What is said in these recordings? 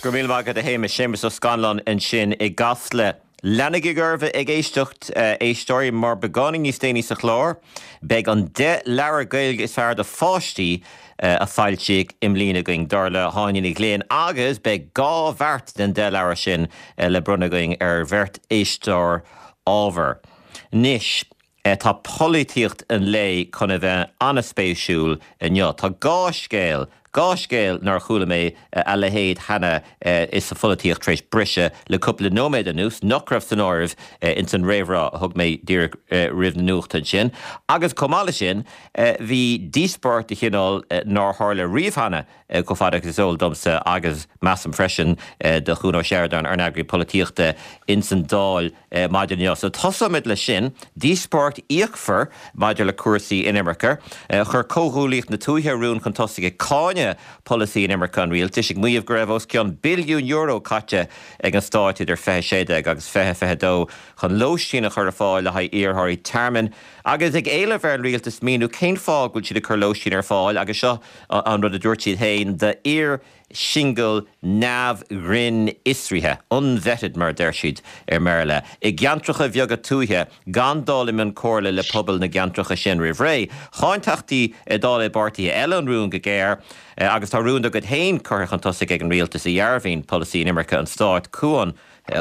Go raibh míle maith agat a Shéamais. Séamus Ó Scanláin ansin i gCasla. Leanaigí oraibh ag éisteacht, a éisteoirí, mar beagáinín níos déanaí sa chlár, beidh an 10 leabhar Gaeilge is fearr do pháistí a foilsíodh i mbliana againn, dar le hÁine Ní Ghlinn, agus beidh 2 bheart den 10 leabhar sin le bronnadh againn ar bheirt éisteoir ábhar. Anois, tá polaitíocht an lae chun a bheith an-spéisiúil inniu. Tá 2 scéal, 2 scéal nár chuala mé a leithéid cheana sa pholaitíocht tar éis briseadh le cúpla nóiméad anuas, nach raibh san áireamh ins an réamhrá a thug mé díreach roimh na nuachta ansin. Agus chomh maith leis sin, bhí díospóireacht de chineál nár tharla riamh cheana chomh fada agus is eol domsa agus measaim freisin do Chuan Ó Seireadáin, ár n-eagraí polaitíochta ins an Dáil maidin inniu. So tosóimid leis sin, díospóireacht fhíochmhar maidir le cúrsaí inimirce. Chuir Comhghuaillíocht na Tuaithe rún chun tosaigh ag cáineadh polasaí inimirce an rialtais, ag maíomh go raibh os cionn billiún euro caite ag an stáit idir 2016 agus 2022 chun lóistín a chur ar fáil le haghaidh iarrthóirí tearmainn agus ag éileamh ar an rialtas míniú cén fáth go bhfuil siad ag cur lóistín ar fáil agus seo an rud a dúirt siad féin d'fhir singil neamh-ghrinnfhiosraithe, unvetted mar a deir siad i mBéarla, i gceantracha bheaga tuaithe gan dul i mbun comhairle le pobail na gceantracha sin roimh ré. Cháin Teachtaí Dála i bpáirtithe eile an rún go géar agus tá rún dá gcuid féin curtha chun tosaigh ag an rialtas a dhearbhaíonn polasaí inimirce an stáit. Cuan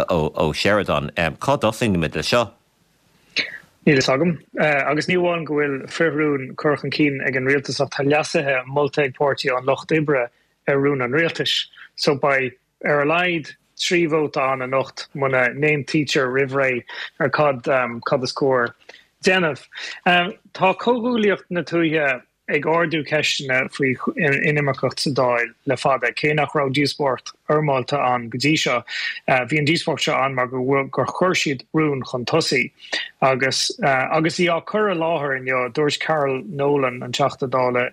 Ó Seireadáin, cá dtosaímid le seo? Níl fhios agam. Agus ní amháin go bhfuil frithrún curtha chun cinn ag an rialtas ach tá leasuithe molta ag Páirtí an Lucht Oibre ar rún an rialtais. So beidh ar a laghad 3 vóta ann anocht muna n-aontaítear roimh ré ar cad cad is cóir déanamh. Tá Comhghuaillíocht na Tuaithe ag ardú ceisteanna faoi inimirceacht sa Dáil le fada, cé nach raibh díospóireacht fhoirmeálta ann go dtí seo. Bhí an díospóireacht seo ann mar gur chuir siad rún chun tosaigh. Agus agus í á cur i láthair inniu, dúirt Carol Nolan, an Teachta Dála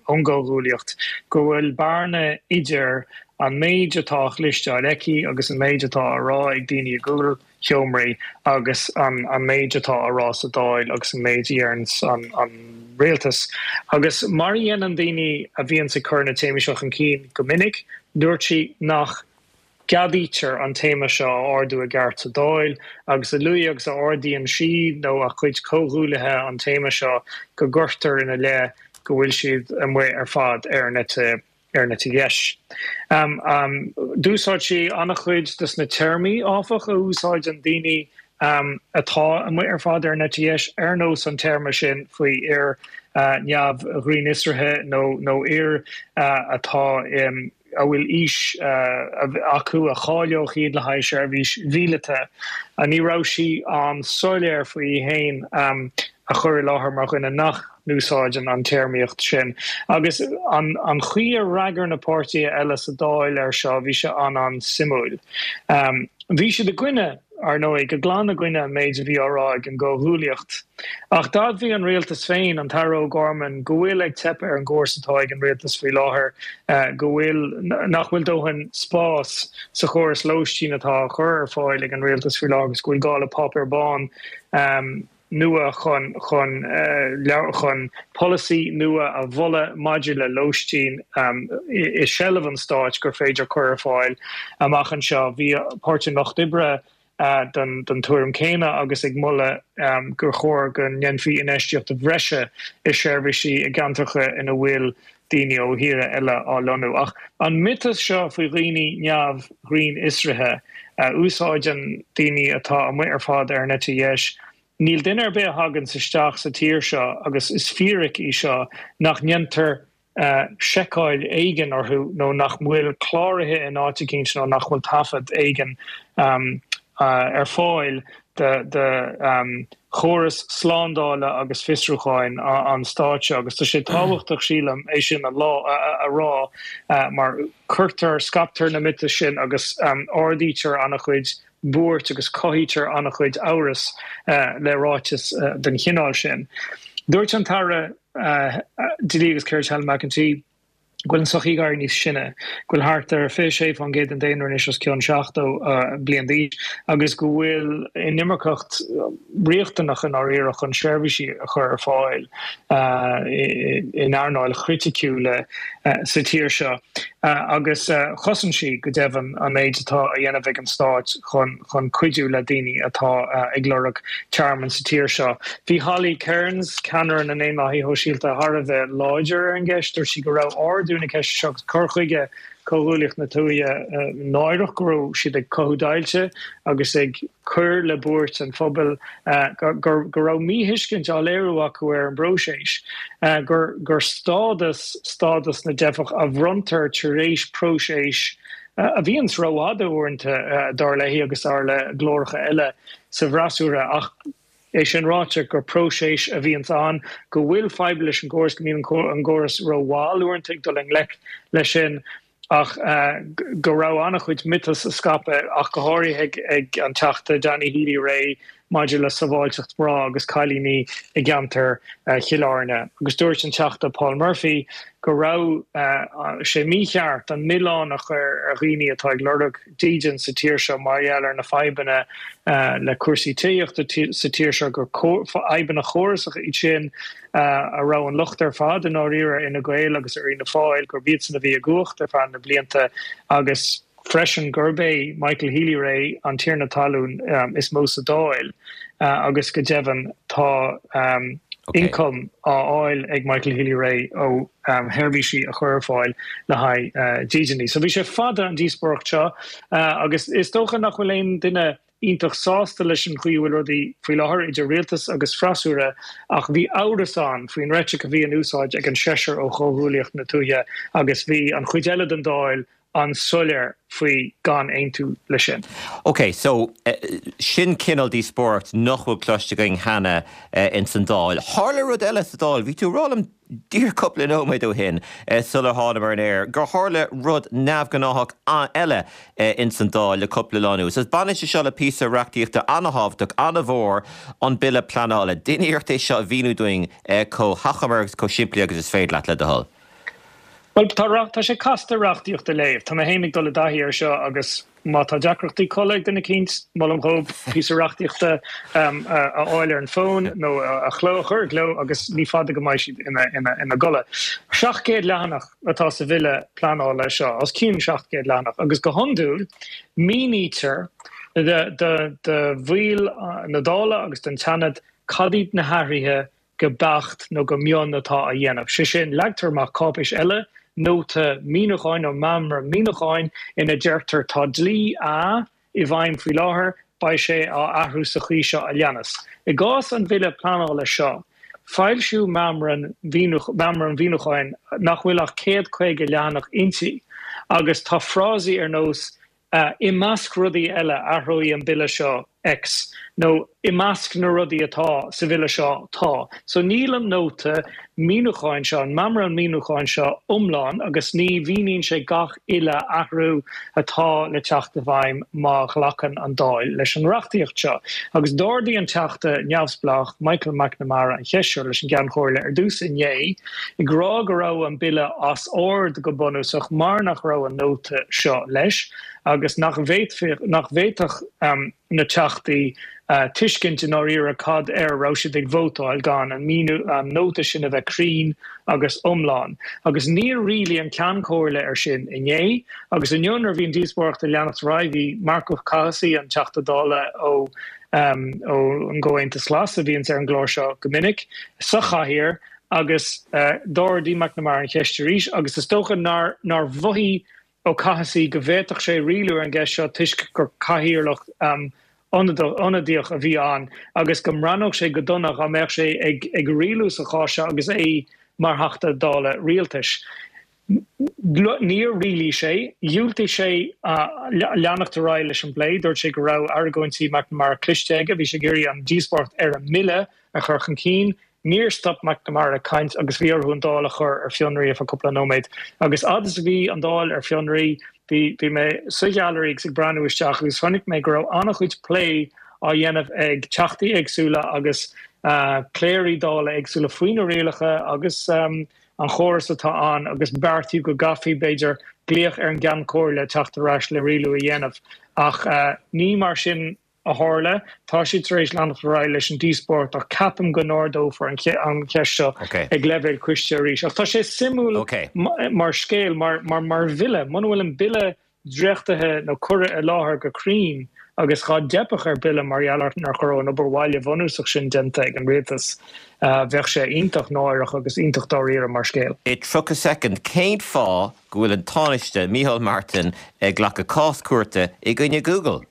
ón gComhghuaillíocht, go bhfuil bearna idir an méid atá á chloisteáil aici agus an méid atá á rá ag daoine i gcúl sheomraí agus an méid atá á rá sa Dáil agus an méid a deireanns an rialtas. Agus mar a dhéanann daoine a bhíonns ag cur na téamaí seo chun cinn go minic, dúirt sí nach gceadaítear an téama seo a ardú i gceart sa Dáil agus a luaithe agus a ardaíonn sí nó a cuid comhghuaillithe an téama seo go gcuirtear ina leith go bhfuil siad amuigh ar fad ar an eite ar an eite dheis. D'úsáid sí an-chuid de na téarmaí, áfach, a úsáideann daoine atá amuigh ar fad ar an eite dheis, ar nós an téarma sin faoi fhir neamh-ghrinnfhiosraithe nó nó fhir atá a bhfuil aois acu a cháileodh iad le haghaidh seirbhís mhíleata. Ní raibh sí an-soiléir faoi í féin a chur i láthair mar dhuine nach n-úsáideann an téarmaíocht sin. Agus an chaoi ar fhreagair na páirtithe eile sa Dáil air seo, bhí sé an-an-suimiúil. Bhí siad i gcoinne, ar ndóigh, go glan i gcoinne an méid a bhí á rá ag an gComhghuaillíocht. Ach d'admhaigh an rialtas féin, an tAire O'Gorman, go bhfuil ag teip ar an gcóras atá ag an rialtas faoi láthair, go bhfuil, nach bhfuil dóthain spás sa chóras lóistín atá á chur ar fáil ag an rialtas faoi láthair agus go bhfuil gá le páipéar bán. nua chun chun chun polasaí nua a mholadh maidir le lóistín i seilbh an stáit gur féidir cur ar fáil amach anseo. Bhí Páirtí an Lucht Oibre den den tuairim céanna agus ag moladh gur chóir go ndéanfaí infheistíocht bhreise i seirbhísí i gceantracha ina bhfuil daoine ó thíortha eile á lonnú. Ach an miotas seo faoi dhaoine neamh-ghrinnfhiosraithe a úsáideann daoine atá amuigh ar fad ar an eite dheis, níl duine ar bith a thaganns isteach sa tír seo, agus is fíric í seo, nach ndéantar seiceáil éigin orthu nó nach bhfuil cláraithe in áit eicínt nó nach bhfuil taifead éigin ar fáil de chóras slándála agus fiosrúcháin an stáit seo agus tá sé tábhachtach, sílim, é sin a rá mar cuirtear, scaiptear na miotais sin agus ardaítear an-chuid buairt agus cothaítear an-chuid amhras le ráiteas den chineál sin. Dúirt an tAire Dlí agus Cirt Helen McEntee. Go bhfuil an tsochaí ag éirí níos sine, go bhfuil thart ar 26% den daonra anois os cionn 70 bliain d'aois agus go bhfuil inimirceacht riachtanach i ndáiríre chun seirbhísí a chur ar fáil in earnáil chriticiúla sa tír seo. Agus chosain sí, go deimhin, an méid atá á dhéanamh ag an Stát chun chun cuidiú le daoine atá ag lorg tearmainn sa tír seo. Bhí Holly Cairns, ceannaire na nDaonlathaithe Shóisialta, thar a bheith láidir ar an gceist. Dúirt sí go raibh ardú na ceiste seo agus cur chuige Comhghuaillíocht na Tuaithe náireach, go raibh siad ag cothú deighilte agus ag cur le buairt an phobail, go raibh míthuiscint á léiriú acu ar an bpróiseas, gur stádas stádas na dteifeach a bhronntar tar éis próiseas a bhíonns rófhada uaireanta, dar léi agus dar le glóracha eile sa bhfreasúra, ach é sin ráite, gur próiseas a bhíonns ann, go bhfuil fadhb leis an gcóras, go mbíonn an córas rómhall uaireanta ag dul i ngleic leis sin, ach go raibh an-chuid miotas á scaipeadh, ach go háirithe ag an Teachta Danny Healy-Rae, maidir le sábháilteacht mná agus cailíní i gceantar Chill Airne agus dúirt an Teachta Paul Murphy go raibh sé mícheart an milleán a chur ar dhaoine atá ag lorg dídean sa tír seo mar gheall ar na fadhbanna le cúrsaí tithíochta sa tír seo, gur fadhbanna córasacha iad sin a raibh an locht ar fad i ndáiríre ar Fhine Gael agus ar Fhianna Fáil, gurb iadsan a bhí i gcumhacht ar feadh na blianta agus. freisin gurb é Michael Healy-Rae an tiarna talún is mó sa Dáil agus go deimhin tá ioncam á fháil ag Michael Healy-Rae ó sheirbhísí a chur ar fáil le haghaidh dídeanaí. So bhí sé fada an díospóireacht seo agus is dócha nach bhfuil aon duine iontach sásta leis an chaoi a bhfuil rudaí faoi láthair idir rialtas agus freasúra ach bhí amhras ann faoin reitric a bhí in úsáid ag an seisear ó Chomhghuaillíocht na Tuaithe agus bhí an chuid eile den Dáil an-soiléir faoi gan aontú leis sin. Ok, so sin cineál díospóireacht nach bhfuil cloiste againn cheana ins an Dáil. Tharla rud eile sa Dáil, bhí tú ag rá liom díreach cúpla nóiméad ó shin, sular thánamar ar an aer, gur tharla rud neamhghnáthach eile ins an Dáil le cúpla lá anuas. Agus baineann sé seo le píosa reachtaíochta an-thábhachtach, an-mhór, an Bille Pleanála. Déan iarracht é seo a mhíniú dúinn chomh hachomair agus chomh simplí agus is féidir leat, le do thoil. Bhuel, tá, tá sé casta reachtaíocht a léamh. Tá mé féin ag dul i dtaithí air seo agus má tá deacrachtaí codladh ag duine eicínt, molaim dhóibh píosa reachtaíochta a fháil ar an bhfón nó a chló, a chur i gcló agus ní fada go mbeidh siad ina, ina, ina gcodladh. 700 leathanach atá sa bhille pleanála seo, os cionn 700 leathanach, agus go hiondúil mínítear do, do, do bhaill na Dála agus don tSeanad cad iad na hathruithe go beacht nó go mion atá á dhéanamh. Sé sin, leagtar amach cáipéis eile, nóta míniúcháin nó meamram míniúcháin, ina deirtear tá dlí A i bhfeidhm faoi láthair, beidh sé á athrú sa chaoi seo a leanas. I gcás an Bhille Pleanála seo, foilsíodh meamram míniúcháin nach bhfuil ach 150 leathanach inti agus tá frásaí ar nós I measc rudaí eile, athróidh an Bille seo X, nó i measc na rudaí atá sa Bhille seo tá. So níl an nóta míniúcháin seo, an meamram míniúcháin seo iomlán agus ní mhíníonn sé gach uile athrú atá le teacht i bhfeidhm má ghlacann an Dáil leis an reachtaíocht seo. Agus d'ardaigh an Teachta neamhspleách Michael McNamara an cheist seo leis an gCeann Comhairle ar dtús inné, ag rá go raibh an bille as ord go bunúsach mar nach raibh an nóta seo leis agus nach bhféadfadh na Teachtaí tuiscint i ndáiríre cad air a raibh siad ag vótáil gan an míniú, an nóta sin a bheith cruinn agus iomlán. Agus níor rialaigh an Ceann Comhairle air sin inné agus inniu nuair a bhí an díospóireacht ag leanacht ar aghaidh bhí Marc Ó Cathasaigh, an Teachta Dála ó ón gComhaontas Glas a bhíonns ar an gclár seo go minic, sa chathaoir Agus d'ardaigh McNamara an cheist arís agus is dócha nár mhothaigh Ó Cathasaigh go bhféadfadh sé rialú ar an gceist seo toisc gur cathaoirleach ionadaíoch a bhí ann agus go mbreathnódh sé go dona dá mbeadh sé ag rialú sa chás seo agus é mar Theachta Dála rialtais. Níor rialaigh sé. Dhiúltaigh sé leanacht ar aghaidh leis an bplé. Dúirt sé go raibh argóintí McNamara cloiste aige. Bhí sé ag iarraidh an díospóireacht ar an mbille a chur chun cinn. Níor stop McNamara ag caint agus bhí orthu an Dáil a chur ar fionraí ar feadh cúpla nóiméad. Agus fhad is a bhí an Dáil ar fionraí, bhí bhí mé sa ghailearaí agus ag breathnú isteach agus chonaic mé go raibh an-chuid plé á dhéanamh ag teachtaí éagsúla agus cléirí Dála éagsúla faoi na rialacha agus. an chóras atá ann agus beartaíodh go gcaithfí, b'fhéidir, glaoch ar an gCeann Comhairle teacht ar ais le rialú a dhéanamh. Ach ní mar sin a tharla. Tá siad tar éis leanacht ar aghaidh leis an díospóireacht ach ceapaim go n-ardófar an cheist seo ag leibhéal coiste arís. Ach tá sé suimiúil mar scéal, mar bhille. Muna bhfuil an bille dréachtaithe nó curtha i láthair go cruinn agus dhá dteipfeadh ar bille mar gheall ar nach raibh an obair bhaile bhunúsach sin déanta ag an rialtas, bheadh sé iontach náireach agus iontach dáiríre mar scéal. I 30 soicind, cén fáth go bhfuil an Tánaiste, Micheál Martin, ag glacadh cás cúirte i gcoinne Google?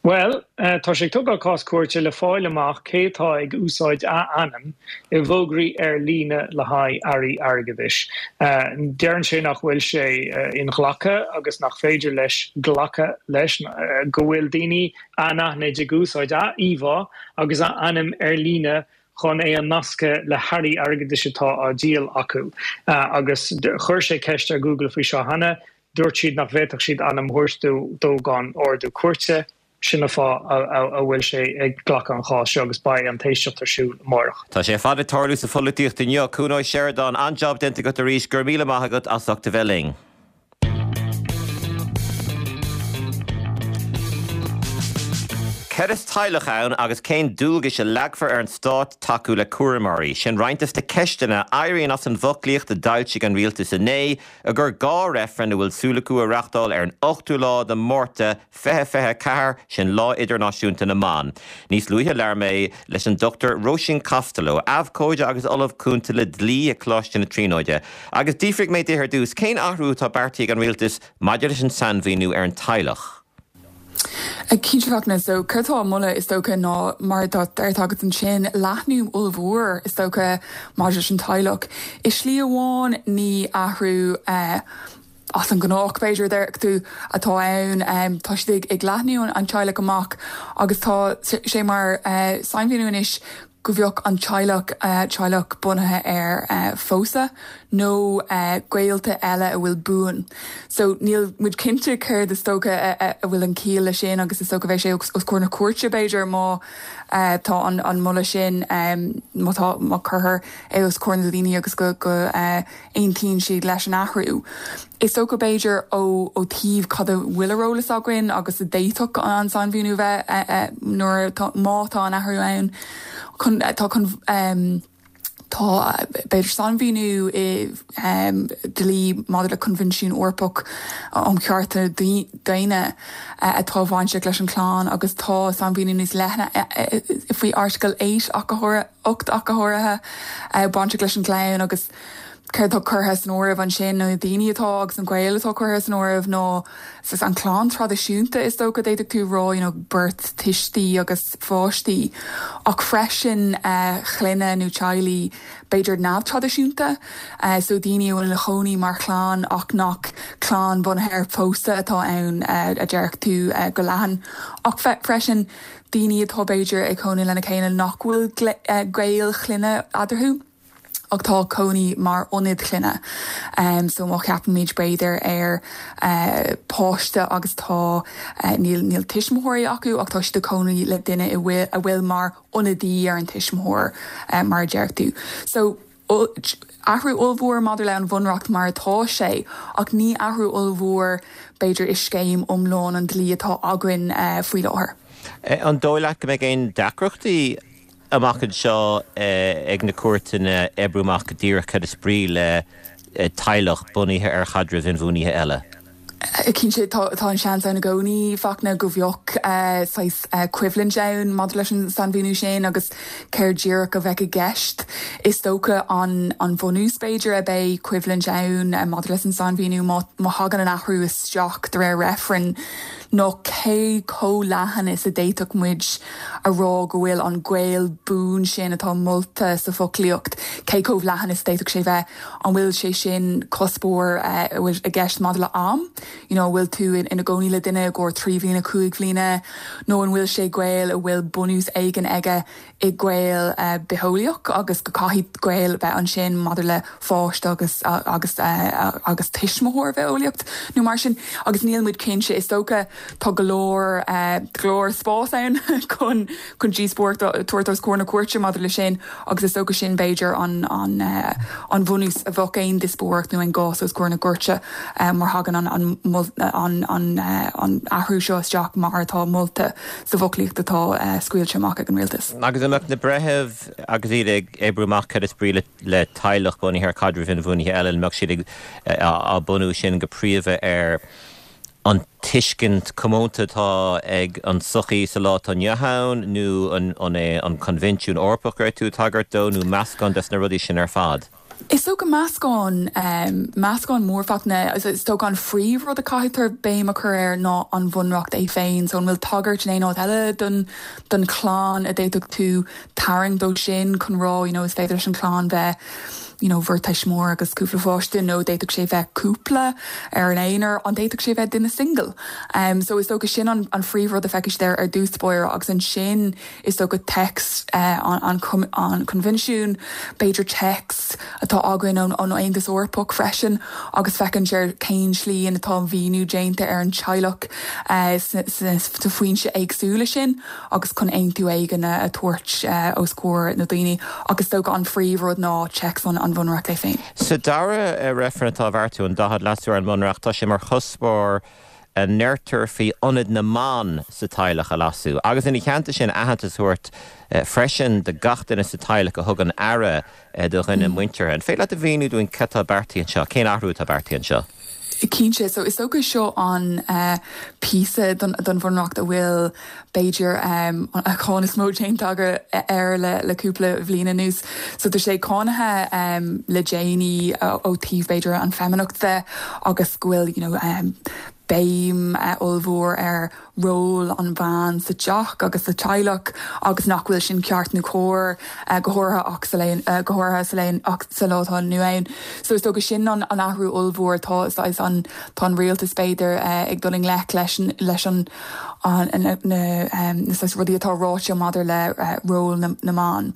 Bhuel, tá sé ag tógáil cás cúirte le fáil amach cé atá ag úsáid a ainm i bhfógraí ar líne le haghaidh earraí airgeadais. Deireann sé nach bhfuil sé inghlactha agus nach féidir leis glacadh leis go bhfuil daoine anaithnid ag úsáid a íomhá agus a ainm ar líne chun é a nascadh le hearraí airgeadais atá á díol acu. Agus chuir sé ceist ar Google faoi seo cheana. Dúirt siad nach bhféadfadh siad ainm a thabhairt dó gan ordú cúirte. Sin an fáth a bhfuil sé ag glacadh an chás seo agus beidh an t-éisteacht ar siúl amárach. Tá sé ar fad ag tarlú sa pholaitíocht inniu. Cuan Ó Seireadáin, an-jab déanta agat arís. Go raibh míle maith agat as ucht a bheith linn. Céard is teaghlach ann agus cén dualgais a leagfar ar an stát tacú le cúramóirí? Sin roinnt des na ceisteanna a éiríonn as an bhfoclaíocht a d'fhoilsigh an rialtas inné i gcomhair 2 reifreann a bhfuil súil acu a reachtáil ar an 8ú lá de Mhárta 2024, sin Lá Idirnáisiúnta na mBan. Níos luaithe labhair mé leis an Dr Róisín Costello, abhcóide agus Ollamh Cúnta le Dlí ag Coláiste na Tríonóide, agus d'fhiafraigh mé di ar dtús cén athrú atá beartaithe ag an Rialtas maidir leis an sainmhíniú ar an teaghlach. Cinnte Fachtna, so céard atá á mholadh is dócha ná mar atá deirte agat ansin, leathnú ollmhór is dócha maidir leis an teaghlach. I slí amháin ní athrú as an ngnách b'fhéidir a déarfadh tú atá ann. Tá siad ag leathnú an teaghlach amach agus tá sé mar sainmhíniú anois go bheadh an teaghlach, teaghlach bunaithe ar phósadh nó gaolta eile a bhfuil buan. So níl muid cinnte céard is dócha a bhfuil an ciall le sin agus is dócha bheidh sé os comhair na cúirte b'fhéidir má tá an moladh sin, má tá, má cuirtear é os comhair na daoine agus go aontaíonn siad leis an athrú. Is dócha, b'fhéidir, ó taobh cad a bhfuil ar eolas againn agus a d'fhéadfadh an sainmhíniú a bheith nuair atá, má tá an athrú ann, chun, tá chun, tá, b'fhéidir, sainmhíniú i dlí maidir le Coinbhinsiún Eorpach um Chearta Daonna atá bainteach leis an chlann agus tá sainmhíniú níos leithne faoi Airteagal 8 ach go háirithe. 8 ach go háirithe, bainteach leis an gclann agus céard atá curtha san áireamh ansin, nó na daoine atá agus an gaol atá curtha san áireamh ná saghas an chlann traidisiúnta is dócha, d'fhéadfadh tú rá, you know beirt tuistí agus pháistí ach freisin clainne nó teaghlaigh b'fhéidir neamhtraidisiúnta, so daoine a bhfuil ina chónaí mar chlann ach nach clann bunaithe ar phósadh atá ann a déarfadh tú go leathan ach freisin daoine atá b'fhéidir ag cónaí lena chéile nach bhfuil gaol clainne eadarthu ach tá cónaí mar ionad clainne. So má cheapaimid b'fhéidir ar páiste agus tá, níl, níl tuismitheoirí acu ach tá siad ag cónaí le duine a bhfuil, a bhfuil mar ionadaí ar an tuismitheoir mar a deir tú. So. Athrú ollmhór maidir le an bhunreacht mar atá sé, ach ní athrú ollmhór, b'fhéidir, i scéim iomlán an dlí atá againn faoi láthair. An dóigh leat go mbeidh aon deacrachtaí amach anseo ag na cúirteanna oibriú amach go díreach cad is brí le teaghlach bunaithe ar chaidrimh inbhuanaithe eile? Cinnte, tá an seans ann i gcónaí, Fachtna, go bheadh saghas coimhlint ann maidir leis an sainmhíniú sin agus céard díreach a bheadh i gceist. Is dócha an an bhunús, b'fhéidir, a beidh coimhlint ann maidir leis an sainmhíniú má thagann an athrú isteach de réir reifrinn ná cé chomh leathan is a d'fhéadfadh muid a rá go bhfuil an gaol buan sin atá molta sa bhfoclaíocht, cé chomh leathan is a d'fhéadfadh sé bheith. An bhfuil sé sin cuspóir a bhfuil i gceist maidir le am? You know, an bhfuil tú ina gcónaí le duine i gcomhair 3 bhliana, 5 bhliana, nó an bhfuil sé gaol a bhfuil bunús éigin aige i gaol bitheolaíoch agus go caithfidh gaol a bheith ansin maidir le pháiste agus agus agus tuismitheoir bhitheolaíocht nó mar sin agus níl muid cinnte. Is dócha tá go leor go leor spás ann chun chun díospóireacht a tabhairt os comhair na cúirte maidir le sin agus is dócha sin b'fhéidir an an an bhunús a bheadh aon díospóireacht nó aon gcás os comhair na gcúirte má thagann an an an an athrú seo isteach mar atá molta sa bhfoclaíocht atá scaoilte amach ag an rialtas. Agus an mbeadh na breithimh agus iad ag oibriú amach cad is brí le teaghlach bunaithe ar chaidrimh inbhuanaithe eile, an mbeadh siad ag á bunú sin go príomha ar an tuiscint comónta atá ag an tsochaí sa lá atá inniu ann nó an é an Coinbhinsiún Eorpach a raibh tú ag tagairt dó nó meascán des na rudaí sin ar fad? Is dócha meascán, meascán mór Fachtna. Is dócha an phríomhrud a caithfear béim a chur air ná an Bhunreacht é féin. So an bhfuil tagairt in aon áit eile don don chlann a d'fhéadfadh tú tarraingt dó sin chun rá you know is féidir leis an chlann bheith you know bheirt tuismitheoir agus cúpla pháiste nó d'fhéadfadh sé bheith cúpla ar an aonar, an d'fhéadfadh sé bheith duine single? So is dócha sin an an phríomhrud a feicfidh siad air ar dtús báire agus ansin Is dócha téacs an Choinbhinsiúin, b'fhéidir téacs atá againn ón Aontas Eorpach freisin agus féachaint ar cén slí ina atá an mhíniú déanta ar an teaghlach sna foinse éagsúla sin agus chun aontú éigin a tabhairt os comhair na daoine. Ach is dócha an phríomhrud ná téacs an Bhunreacht é féin. Sa dara reifreann atá á bheartú, an 40 leasú ar an mBunreacht, tá sé mar chuspóir a ndeirtear faoi ionad na mban sa teaghlach a leasú agus ina theannta sin aitheantas a thabhairt freisin do gach duine sa teaghlach a thugann aire do dhuine muinteartha. An féidir leat a mhíniú dúinn cad tá beartaithe anseo, cén athrú atá beartaithe anseo? Cinnte. So is dócha seo an píosa don Bhunreacht a bhfuil b'fhéidir an cáineadh is mó déanta air le cúpla bhliain anuas. So tá sé cáinithe le déanaí ó taobh b'fhéidir an feimineacht de agus go bhfuil you know béim ollmhór ar ról an bhean sa teach agus sa teaghlach agus nach bhfuil sin ceart nó cóir go háirithe ach sa go háirithe sa lá ach sa lá atá inniu ann. So is dócha sin an athrú ollmhór tá an tá an rialtas b'fhéidir ag dul i ngleic leis leis an na saghas rudaí atá ráite maidir le ról na mban.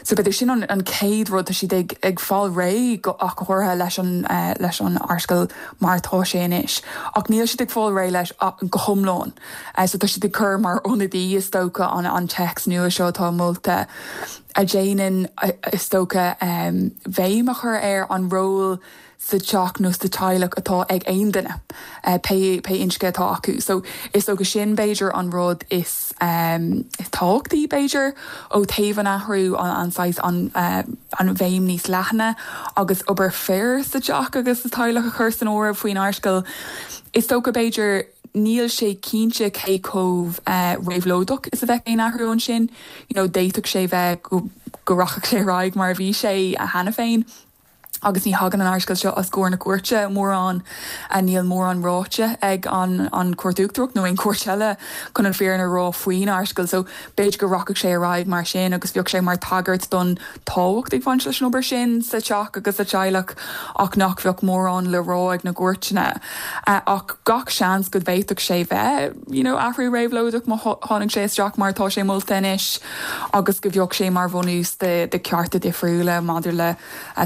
So b'fhéidir sin an chéad rud, tá siad ag fáil réidh ach go háirithe leis an leis an Airteagal mar atá sé anois. Ach níl siad ag fáil réidh leis go hiomlán. So tá siad ag cur mar ionadaí is dócha an téacs nua seo atá molta a dhéanann is dócha bhéim a chur ar an ról sa teach nó sa teaghlach atá ag aon duine, pé pé inscne atá acu. So is dócha sin b'fhéidir an rud is is tábhachtaí b'fhéidir ó thaobh an athrú, an saghas an an bhéim níos leathana agus obair fir sa teach agus sa teaghlach a chur san áireamh faoin Airteagal. Is dócha b'fhéidir níl sé cinnte cé chomh réabhlóideach is a bheadh aon athrú ansin. You know d'fhéadfadh sé bheith go go rachadh sé ar aghaidh mar a bhí sé cheana féin. Agus ní thagann an Airteagal seo os comhair na cúirte mórán, níl mórán ráite ag an an Chúirt Uachtarach nó aon chúirt eile chun an fírinne a rá faoin Airteagal. So b'fhéidir go rachadh sé ar aghaidh mar sin agus bheadh sé mar tagairt don tábhacht ag baint leis an obair sin sa teach agus sa teaghlach ach nach bheadh mórán le rá ag na gcúirteanna. Ach gach seans go bhféadfadh sé bheith, you know, athrú réabhlóideach má tháinig sé isteach mar atá sé molta anois agus go bheadh sé mar bhunús de de cearta difriúla maidir le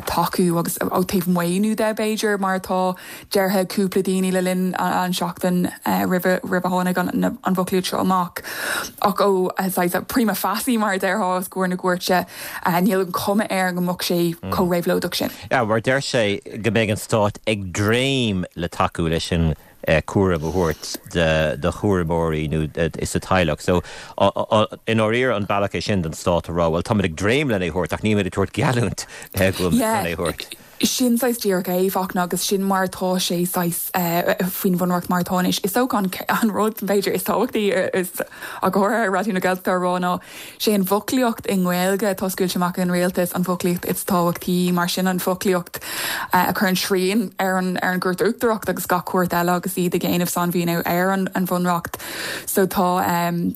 tacú agus ó taobh maoiniú de b'fhéidir mar atá deartha ag cúpla daoine le linn an seachtain roimhe roimh a tháinig an an bhfoclaíocht seo amach. Ach ó saghas prima facie mar a déarfá os comhair na gcúirte níl an cuma air go mbeadh sé chomh réabhlóideach sin. Yeah, mar deir sé go mbeidh an stát ag dréim le tacú leis an cúram a thabhairt do chúramóirí nó sa teaghlach. So, i ndáiríre an bealach é sin don stát a rá, bhuel, táimid ag dréim lena thabhairt ach nílimid ag tabhairt geallúint go bhfuil muid chun é a thabhairt. Sin saghas díreach é, Fachtna, agus sin mar atá sé saghas faoin bhunreacht mar atá anois. Is dócha an rud, b'fhéidir, is tábhachtaí is ach go háirithe ar Raidió na Gaeltachta a rá ná sé an bhfoclaíocht i nGaeilge atá scaoilte amach ag an rialtas an bhfoclaíocht is tábhachtaí, mar sin an foclaíocht. A chuireann srian ar an ar an gCúirt Uachtarach agus gach cúirt eile agus iad ag déanamh sainmhíniú ar an an Bhunreacht. So tá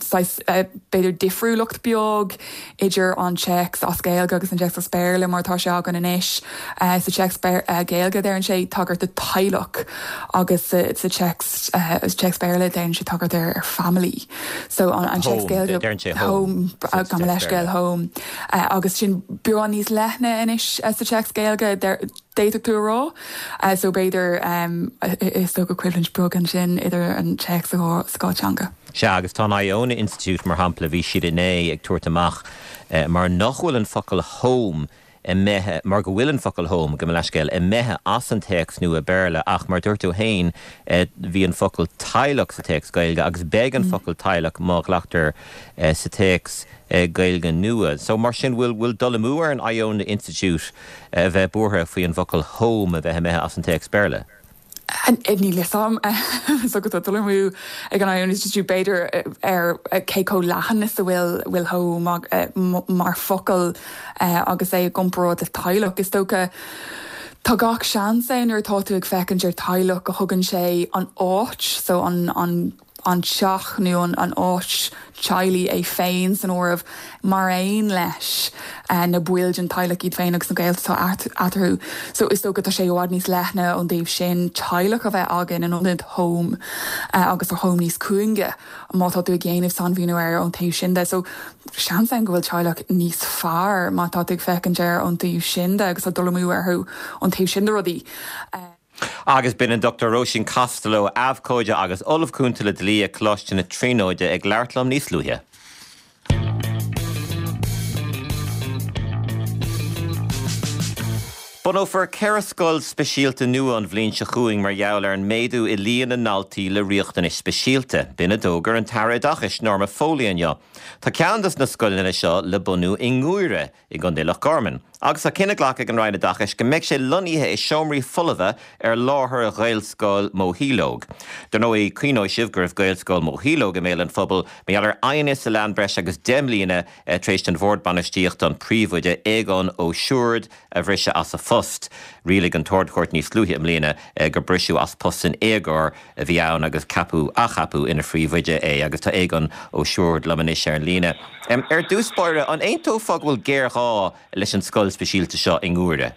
saghas b'fhéidir difriúlacht beag idir an téacs as Gaeilge agus an téacs as Béarla mar atá sé againn anois. Sa téacs Gaeilge déanann sé tagairt do teaghlach agus sa téacs téacs Béarla déanann sé tagairt ar family. So an téacs Gaeilge Deireann sé home. Gabh mo leithscéal home. Agus sin beagán níos leithne anois sa téacs Gaeilge, d'fhéadfadh tú a rá. So b'fhéidir is dócha coimhlint beag ansin idir an téacs sa dhá teanga. Sea, agus tá an Iona Institute, mar shampla, bhí siad inné ag tabhairt amach mar nach bhfuil an focal home imithe, mar go bhfuil an focal home, gabh mo leithscéal, imithe as an téacs nua Béarla ach mar dúirt tú féin bhí an focal teaghlach sa téacs Gaeilge agus beidh an focal teaghlach má ghlactar sa téacs Gaeilge nua. So mar sin bhfuil bhfuil dul amú ar an Iona Institute a bheith buartha faoi an bhfocal home a bheith imithe as an téacs Béarla? Níl fhios a'm. Is dócha tá dul amú ag an Iona Institute b'fhéidir ar cé chomh leathan is a bhfuil bhfuil home mar focal agus é i gcomparáid le teaghlach. Is dócha tá gach seans ann nuair atá tú ag féachaint ar teaghlach go thugann sé an áit so an an an teach nó an áit teaghlaigh é féin san áireamh, mar aon leis na baill den teaghlach iad féin agus na gaolta atá eatarthu. So is dócha tá sé i bhfad níos leithne ón dtaobh sin teaghlach a bheith againn in ionad home agus tá home níos cúinge má tá tú ag déanamh sainmhíniú air ón taobh sin de. So seans ann go bhfuil teaghlach níos fearr má tá tú ag féachaint air ón taobh sin de agus tá dul amú orthu ón taobh sin de rudaí. Agus b'in an Dr Róisín Costello, abhcóide agus Ollamh Cúnta le Dlí ag Coláiste na Tríonóide ag labhairt liom níos luaithe. Bunófar 4 scoil speisialta nua an bhliain seo chugainn mar gheall ar an méadú i líon na ndaltaí le riachtanais speisialta. B'in a d'fhógair an tAire Oideachais, Norma Foley inniu. Tá ceann dos na scoileanna seo le bunú i nGuaire. i gContae Loch Garman, agus tá cinneadh glactha ag an Roinn Oideachais go mbeidh sé lonnaithe i seomraí folmha ar láthair Ghaelscoil Moshíológ. Dar ndóigh, cuimhneoidh sibh go raibh Gaelscoil Moshíológ i mbéal an phobail mar gheall ar aighneas a lean breis agus 10 mbliana tar éis don Bhord Bainistíochta an príomhoide, Aogán Ó Siúird, a bhriseadh as a phost. Rialaigh an tArd-Chúirt níos luaithe i mbliana gur briseadh as post san éagóir a bhí ann agus ceapadh, athcheapadh ina phríomhoide é agus tá Aogán Ó Siúird liom anois ar an líne. Ar dtús báire, an aontófá go bhfuil géarghá leis an scoil speisialta seo i nGuaire?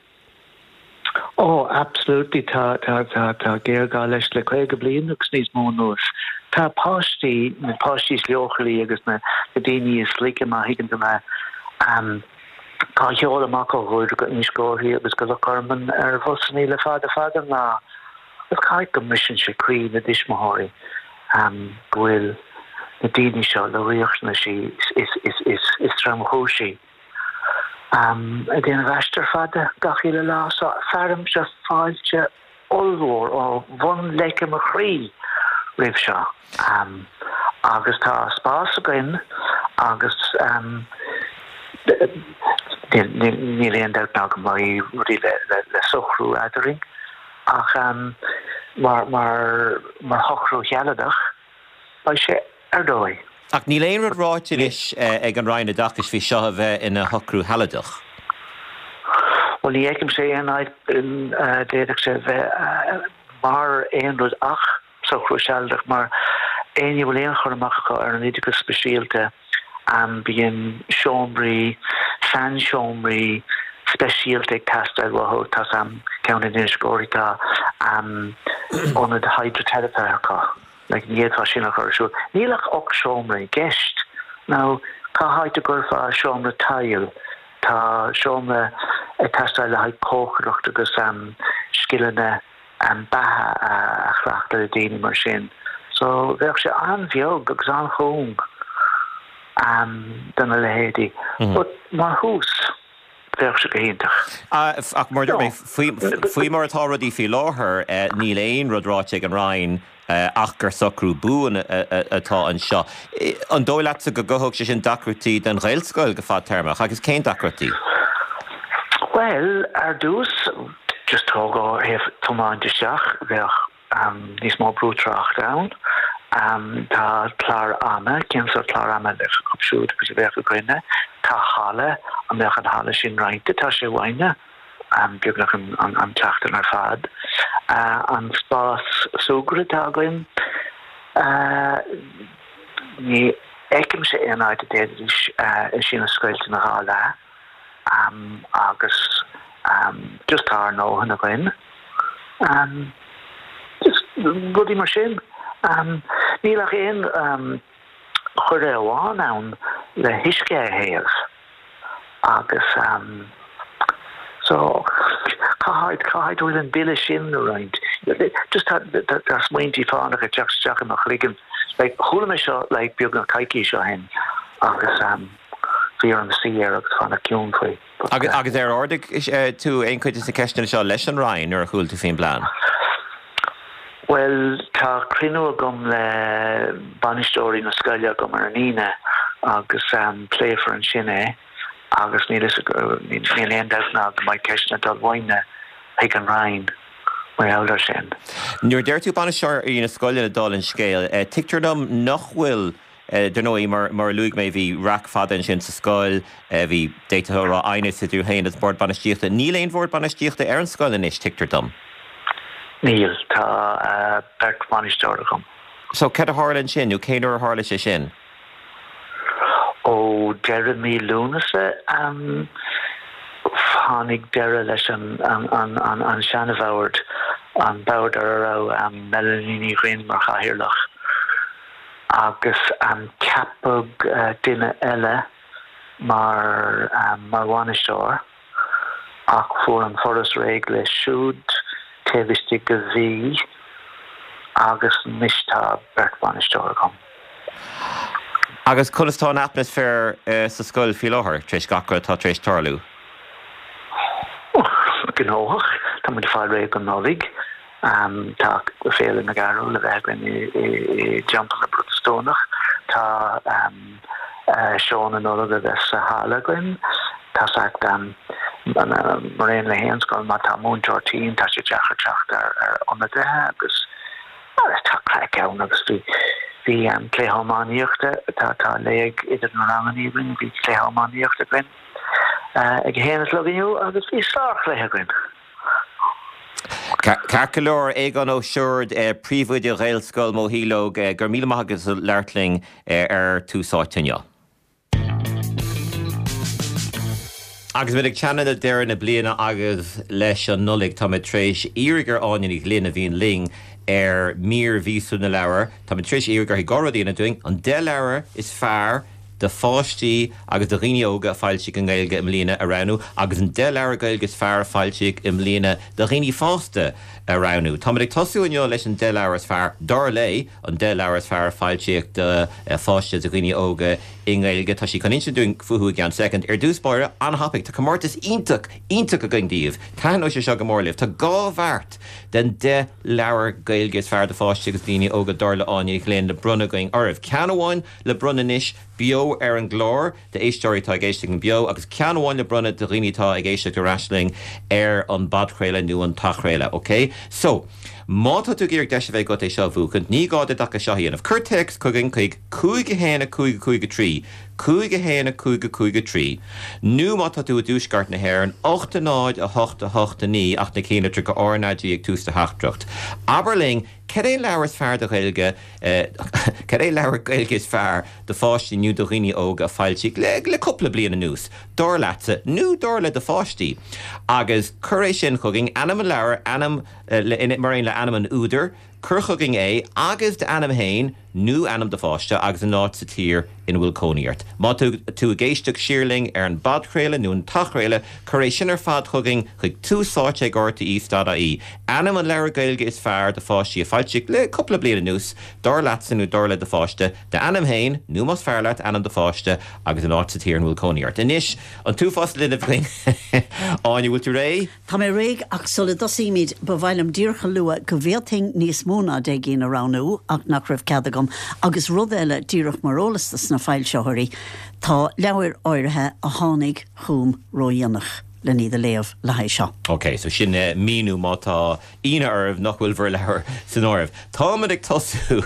Oh, absolutely, tá, tá, tá, tá géarghá leis le 50 bliain agus níos mó anuas. Tá páistí, na páistí is leochailí agus na, na daoine is laige má thuigeann tú mé, á sheoladh amach ó Ghuaire go Inis Córthaidh agus go Loch Garman ar bhusannaí le fada fada an lá. Agus caithfidh go mbriseann sé croí na dtuismitheoirí go bhfuil na daoine seo le riachtanaisí is tromchúisí ag déanamh aistear fada gach uile lá. So fearaimse fáilte ollmhór ó bhun leice mo chroí roimh seo. Agus tá spás againn agus níl aon dabht ná go mbeidh rudaí le socrú eadrainn. Ach mar mar shocrú shealadach, beidh sé ar dóigh. Ach níl aon rud ráite anois ag an Roinn Oideachais faoi seo a bheith ina shocrú shealadach. Bhuel, ní fheicimse aon áit a d'fhéadfadh sé a bheith mar aon rud ach socrú sealadach mar éinne a bhfuil aon chur amach acu ar an oideachas speisialta, bíonn seomraí, sainseomraí speisialta ag teastáil uathu. Tá ceann in Inis Córthaidh, tá ionad hidriteiripe acu, like ní fhéadfá sin a chur ar siúl. Níl ach 8 seomra i gceist. Now, cá háit a gcuirfeá seomra tadhaill? Tá seomra ag teastáil le haghaidh cócaireacht agus scileanna beatha a chleachtadh le daoine mar sin. So bheadh sé an-bheag agus an-chúng do na leithéidí. But mar thús, bheadh sé go hiontach. Ach mar a dúirt mé, faoi mar atá rudaí faoi láthair, níl aon rud ráite ag an Roinn ach gur socrú buan atá anseo. An dóigh leatsa go gcothódh sé sin deacrachtaí don Ghaelscoil go fadtéarmach agus cén deacrachtaí? Bhuel, ar dtús, just tóg ó thaobh tiomáint isteach, bheadh níos mó brú tráchta ann. Tá clár ama, cén sórt clár ama a bheadh acu siúd agus a bheadh againne? Tá halla, an mbeadh an halla sin roinnte? Tá sé uainne. beagnach an tseachtain ar fad. An spás súgartha atá againn, ní fheicimse aon áit a d'fhéadfaidís é sin a scoilt ina dhá leath agus just tá ár ndóthain againn. Just rudaí mar sin. Níl ach aon choire amháin ann le huisce a théamh agus so cá háit, cá háit a bhfuil an bille sin le roinnt? Just tá, tá smaointí fánacha ag teacht isteach i mo chloigeann. Like chuala mé seo like beagnach coicís ó shin agus bhí orm suí air agus fanacht ciúin faoi. Agus ar ardaigh tú aon chuid de na ceisteanna seo leis an Roinn nuair a chuala tú faoin bplean? Bhuel, tá cruinniú agam le bainisteoirí na scoile agam ar an Aoine agus pléifear ansin é agus níl fhios agam, níl aon dabht ná go mbeidh ceisteanna ag dul uainne chuig an Roinn mar gheall air sin. Nuair a deir tú bainisteoirí na scoileanna dála an scéil, tuigtear dom nach bhfuil Dar ndóigh, mar a luaigh mé, bhí raic fada ansin sa scoil, bhí, d'fhéadfá a rá, aighneas idir tú féin agus bord bainistíochta. Níl aon bhord bainistíochta ar an scoil anois, tuigtear dom. Níl, tá beirt bhainisteoir agam. So, cad a tharla ansin, nó cén uair a tharla sé sin? Ó deireadh mí Lúnasa, tháinig deireadh leis an seana-bhord, an bord ar a raibh Melanie Ní Dhuinn mar chathaoirleach. agus ceapadh duine eile mar mar bhainisteoir ach fuair an Foras réidh leis siúd taobh istigh de mhí agus anois tá beirt bhainisteoir agam. Agus conas tá an atmaisféar sa scoil faoi láthair, tar éis gach rud atá tar éis tarlú? Gnóthach. Tá muid ag fáil réidh don Nollaig. Tá Féile na gCarúl le bheith againn i dTeampall na bProtastúnach. Tá Seó na Nollag a bheith sa halla againn. Tá mar aon le haon scoil, má tá múinteoir tinn, tá sé deacair teacht ar ionadaithe agus tá craic ann agus bhí bhí cluiche iománaíochta, tá léig idir na ranganna againn, bhí cluiche iománaíochta againn ag a haon a chlog inniu agus bhí sárchluiche againn. Ceart go leor, Aogán Ó Siúird, Príomhoide Ghaelscoil Moshíológ, go raibh míle maith agat as labhairt linn ar Tús Áite inniu. Agus muid ag teannadh le deireadh na bliana agus leis an Nollaig, tá mé tar éis iarraidh ar Áine Ní Ghlinn, a bhíonn linn ar mír mhíosúil na leabhar, tá mé tar éis iarraidh uirthi dhá rud a dhéanamh dúinn, an 10 leabhar is fearr do pháistí agus do dhaoine óga a foilsíodh i nGaeilge i mbliana a roghnú agus an 10 leabhar Gaeilge is fearr a foilsíodh i mbliana do dhaoine fásta a roghnú. Táimid ag tosú inniu leis an 10 leabhar is fearr, dar léi, an 10 leabhar is fearr a foilsíodh do pháistí agus do dhaoine óga i nGaeilge. Tá sí chun insint dúinn fúthu i gceann soicind. Ar dtús báire, an-thapaidh, tá comórtas iontach, iontach againn daoibh. Taitneoidh sé seo go mór libh. Tá dhá bheart den 10 leabhar Gaeilge is fearr do pháistí agus daoine óga dar le Áine Ní Ghlinn le bronnadh againn oraibh. Ceann amháin le bronnadh anois beo ar an gclár d'éisteoirí atá ag éisteacht linn beo agus ceann amháin le bronnadh do dhaoine atá ag éisteacht ar ais linn ar an bpodchraoladh nó an t-athchraoladh. Ok? So, má tá tú ag iarraidh deis a bheith agat é seo a bhuachaint, ní gá duit ach é seo a dhéanamh. Cuir téacs chugainn chuig 5 1 5 5 3, 5 1 5 5 3, nó má tá tú i dtuaisceart na hÉireann, 8 0 8 8 9 ach na cinnlitreacha RnaG ag tús do theachtaireacht. Abair linn Cad é an leabhar is fearr do Ghaeilge Cad é leabhar Gaeilge is fearr do pháistí nó do dhaoine óga a foilsíodh le le cúpla bliain anuas, dar leatsa, nó dar le do pháistí? Agus cuir é sin chugainn, ainm an leabhair, ainm mar aon le ainm an údair, cuir chugainn é agus d'ainm féin nó ainm do pháiste agus an áit sa tír ina bhfuil cónaí ort. Má tá tú ag éisteacht siar linn ar an bpodchraoladh nó an t-athchraoladh, cuir é sin ar fad chugainn chuig túsáite ag rte.ie. Ainm an leabhair Gaeilge is fearr do pháistí a foilsíodh le cúpla bliain anuas, dar leatsa nó dar le do pháiste, d'ainm féin, nó más fearr leat, ainm do pháiste agus an áit sa tír ina bhfuil cónaí ort. Anois, an t-uafás linbh againn. Áine, bhfuil tú réidh? Tá mé réidh ach sula dtosaímid ba mhaith liom díreach a lua go bhféadfainn níos mó ná 10 gcinn a roghnú ach nach raibh cead agam agus rud eile díreach mar eolas dos na foilsitheoirí, tá leabhair áirithe a tháinig chugam ródhéanach len iad a léamh le haghaidh seo. Ok, so sin míniú má tá ionadh oraibh nach bhfuil bhur leabhar san áireamh. Táimid ag tosú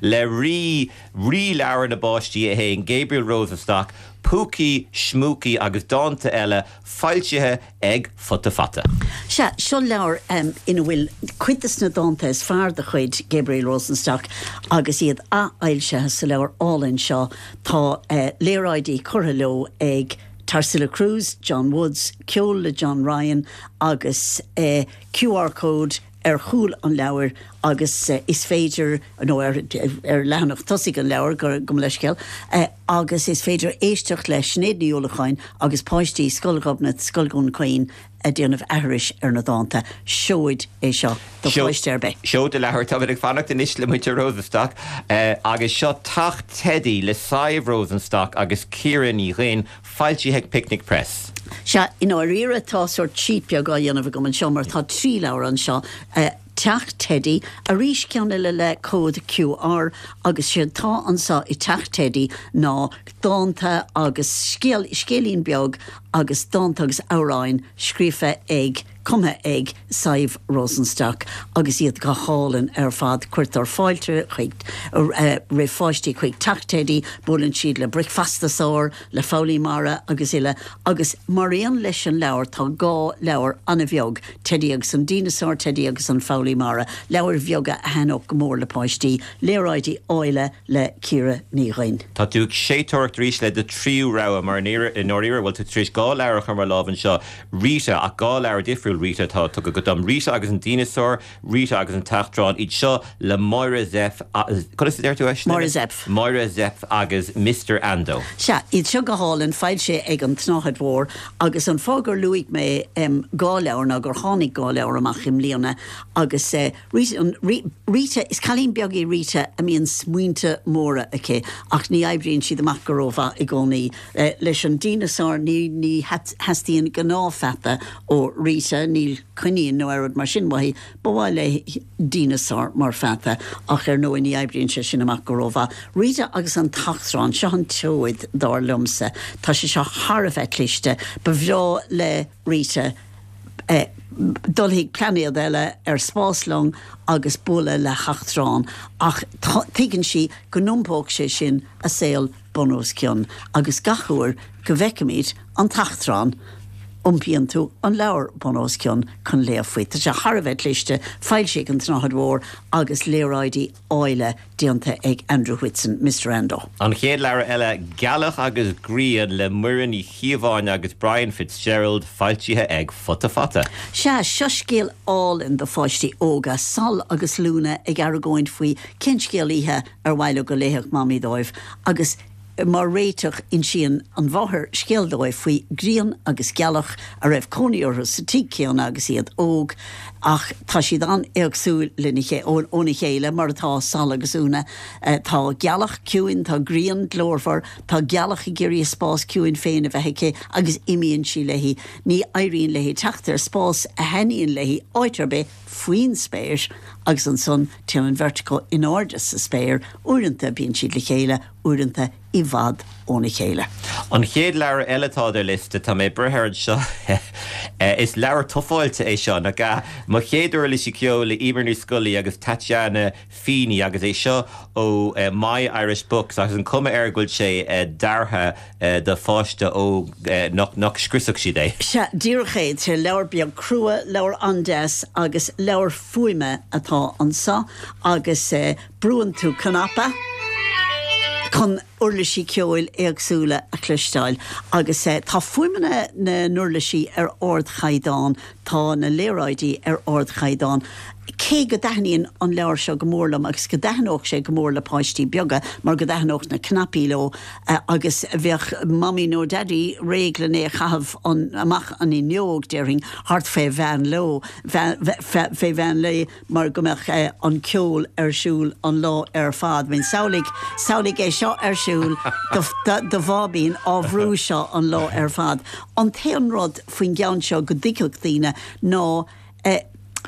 le rí, rí leabhar na bpáistí é féin, Gabriel Rosenstock. Púcaí, Schmúcaí agus Dánta Eile, foilsithe ag Futa Fata. Sea, seo leabhar ina bhfuil cuid de na dánta is fearr de chuid Gabriel Rosenstock agus iad athfhoilsithe sa leabhar álainn seo. Tá léaráidí curtha leo ag Tarsila Kruse, John Woods, ceol le John Ryan agus QR code ar chúl an leabhair agus is féidir, nó ar leathanach tosaigh an leabhair, gabh mo leithscéal, agus is féidir éisteacht le Sinéad Ní Uallacháin agus páistí Scoil Ghobnait, Scoil Dhún Chaoin ag déanamh aithris ar na dánta. Seoid é seo do pháiste ar bith. Seoid de leabhar. Táimid ag fanacht anois le muintir Rosenstock agus seo Teach Teidí le Sadhbh Rosenstock agus Ciara Ní Dhuinn. Foilsithe ag Picnic Press. Sea, i ndáiríre tá sórt cheat beag á dhéanamh agam anseo mar tá 3 leabhar anseo, Teach Teidí, arís ceann eile le cód QR agus séard tá anseo i Teach Teidí ná dánta agus scéal, scéilín beag agus dánta agus amhráin scríofa ag. cumtha ag Sadhbh Rosenstock agus iad go hálainn ar fad. Cuirtear fáilte chuig roimh pháistí chuig Teach Teidí, buaileann siad le Bricfeastasaur, le Foghlaí Mara agus uile agus mar aon leis an leabhar tá 2 leabhar an-bheag, Teidí agus an Díneasár, Teidí agus an Foghlaí Mara, leabhair bheaga a thaitneodh go mór le páistí, léaráidí áille le Ciara Ní Dhuinn. Tá tú ag séitéireacht arís le do thríú rogha mar i ndáiríre bhfuil tú tar éis 2 leabhar a chur mo lámh anseo. Rita, ach 2 leabhar difriúil Rita atá tugtha agat dom, Rita agus an Díneasár, Rita agus an tEachtrán, iad seo le Máire Zepf, conas a deir tú é sin? Máire Zepf. Máire Zepf agus Mister Ando. Sea, iad seo go hálainn, foilsithe ag An tSnáthaid Mhór, agus an fáth gur luaigh mé 2 leabhar ná gur tháinig 2 leabhar amach i mbliana agus Rita, Rita, is cailín beag í Rita a mbíonn smaointe móra aici ach ní oibríonn siad amach go rómhaith i gcónaí. Leis an díneasár, ní, ní theastaíonn gnáthpheata ó Rita, níl coinín nó aon rud mar sin uaithi, ba mhaith léi díneasár mar pheata ach ar ndóigh ní oibríonn sé sin amach go rómhaith. Rita agus an tEachtrán, seo an tseoid dar liomsa. Tá sé seo thar a bheith cliste. Ba bhreá le Rita dul chuig plainéad eile ar spáslong agus bualadh le heachtrán ach tuigeann sí go n-iompódh sé sin a saol bun os cionn agus gach uair go bhfeicimid an t-eachtrán iompaíonn tú an leabhar bun os cionn chun léamh faoi. Tá sé thar a bheith cliste, foilsithe ag An tSnáthaid Mhór agus léaráidí áille déanta ag Andrew Whitson, Mister Ando. An chéad leabhar eile, Gealach agus Grian le Muireann Ní Chíobháin agus Brian Fitzgerald, foilsithe ag Futa Fata. Sea, seo scéal álainn do pháistí óga, Sol agus Lúna ag argóint faoi cén scéal oíche ar mhaith leo go léifeadh Mamaí dóibh agus mar réiteach insíonn an mháthair scéal dóibh faoi Ghrian agus Gealach a raibh cónaí orthu sa tigh céanna agus iad óg ach tá siad an-éagsúil lena óna chéile mar atá Sol agus Úna. Tá Gealach ciúin, tá Grian glórmhar, tá Gealach ag iarraidh a spás ciúin féin a bheith aici agus imíonn sí léi. Ní éiríonn léi teacht ar spás a thaitníonn léi áit ar bith faoin spéir agus ansan téann an bheirt acu in airde sa spéir, uaireanta bíonn siad le chéile, uaireanta i bhfad óna chéile. An chéad leabhar eile atá ar do liosta, tá mé ag breith air anseo, is leabhar tufáilte é seo, nach ea? Mo Chéad Uirlisí Ceoil le Eimear Ní Scolaí agus Tatiana Feeney agus é seo ó My Irish Books agus an cuma air go bhfuil sé deartha do pháiste óg nach scriosfadh siad é. Sea, díreach é. Tá leabhar beag crua, leabhar an-deas agus leabhar fuaime atá anseo agus brúann tú cnaipe chun uirlisí ceoil éagsúla a chloisteáil agus tá fuaimeanna na n-uirlisí ar ardchaighdeán. Tá na léaráidí ar ardchaighdeán. Cé go dtaitníonn an leabhar seo go mór liom agus go dtaitneodh sé go mór le páistí beaga mar go dtaitneodh na cnaipí leo agus bheadh Mamaí nó Daidí réidh len é a chaitheamh amach an fhuinneog, déarfainn, thart fé mheán leo, fé mheán lae mar go mbeadh an ceol ar siúl an lá ar fad. I mean, samhlaigh, samhlaigh é seo ar siúl do, do bháibín á bhrú seo an lá ar fad. An t-aon rud faoin gceann seo go dtuigfeadh daoine ná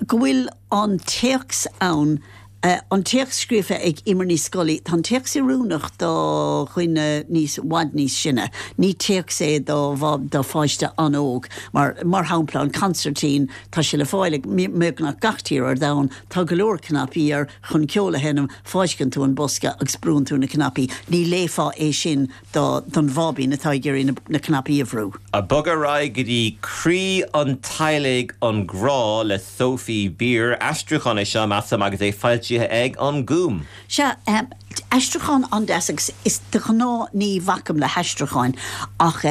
go bhfuil an téacs ann. An téacs scríofa ag Eimear Ní Scolaí. Tá an téacs oiriúnach do dhuine níos, i bhfad níos sine. Ní téacs é do, do pháiste an-óg. Mar, mar shampla, an consairtín, tá sé le fáil i mbeagnach gach tír ar domhan, tá go leor cnaipí air chun ceol a sheinm, fáisceann tú an bosca agus brúann tú na cnaipí. Ní léifeá é sin do, don bháibín atá ag iarraidh na, na cnaipí a bhrú. Ag bogadh ar aghaidh go dtí Croí an Teaghlaigh, An Grá le Sophie Beer. Aistriúchán é seo, measaim, agus é foilsithe ag An Gúm. Sea, aistriúchán an-deas agus is de ghnáth ní bhacaim le haistriúcháin ach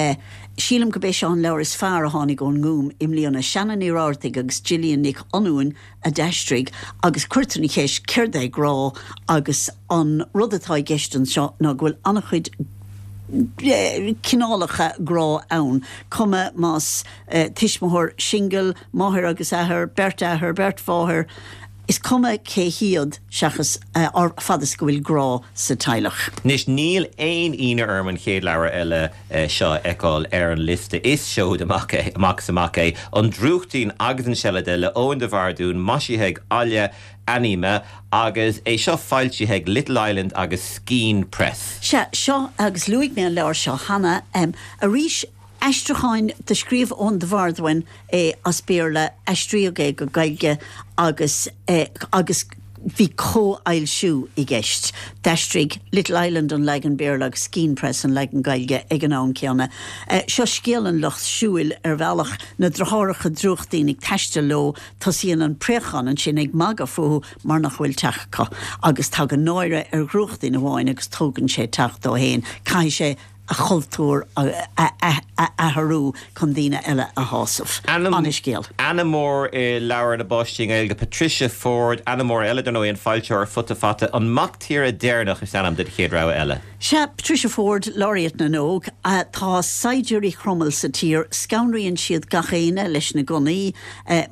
sílim gurb é seo an leabhar is fearr a tháinig ón nGúm i mbliana. Shanna Ní Rabhartaigh agus Gillian Nic Fhionnghain a d'aistrigh agus cuirtear an cheist céard é grá agus an rud atá i gceist anseo ná go bhfuil an-chuid cineálacha grá ann, cuma más tuismitheoir singil, máthair agus athair, beirt athar, beirt mháthair, is cuma cé hiad seachas fad is go bhfuil grá sa teaghlach. Anois, níl aon ionadh orm an chéad leabhar eile seo a fheiceáil ar an liosta. Is seoid amach é, amach is amach é. An Drúchtín agus an Seilide le Eoin de Bhardún, maisithe ag Aille Anema agus é seo foilsithe ag Little Island agus Skein Press. Sea, seo, agus luaigh mé an leabhar seo cheana, arís, aistriúcháin, do scríobh Eoin de Bhardúin é as Béarla, aistríodh é go Gaeilge agus, agus bhí comhfhoilsiú i gceist. D'aistrigh Little Island an leagan Béarla agus Skein Press an leagan Gaeilge ag an am céanna. Seo scéal an lucht siúil ar bhealach, na deartháireacha Drúchtín ag taisteal leo, tosaíonn an préachán ansin ag magadh fúthu mar nach bhfuil teach acu agus tagann náire ar Dhrúchtín amháin agus tógann sé teach dó fhéin. Caithfidh sé a chultúr a athrú chun daoine eile a shásamh. Ana-scéal. Ainm mór i leabhair na bpáistí i nGaeilge, Patricia Forde. Ainm mór eile, dar ndóigh, an foilsitheoir, Futa Fata. An Mac Tíre Deireanach is ainm don chéad rogha eile. Sea, Patricia Forde, Laureate na nÓg. Tá saighdiúirí Chromail sa tír. Scanraíonn siad gach éinne leis na gunnaí,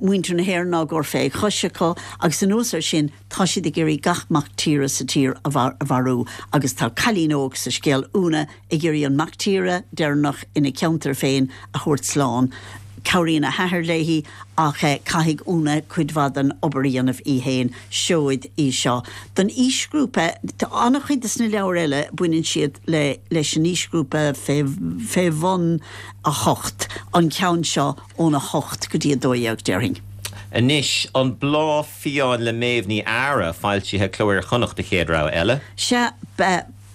muintir na hÉireann á gcur fé chois acu agus anuas air sin, Tá siad ag iarraidh gach mac tíre sa tír a mharú agus tá cailín óg sa scéal, Úna, ag iarraidh an mac tíre deireanach ina ceantar féin a thabhairt slán. Cabhraíonn a hathair léi ach caithfidh Úna cuid mhaith den obair a dhéanamh í féin. Seoid í seo don aoisghrúpa. An-chuid de na leabhair eile baineann siad le leis an aoisghrúpa fé fé bhun 8. An ceann seo ón 8 go dtí 12 déarfainn. Anois, An Bláth Fiáin le Méabh Ní Eadhra, foilsithe Cló Iar-Chonnacht, do chéad rogha eile. Sea,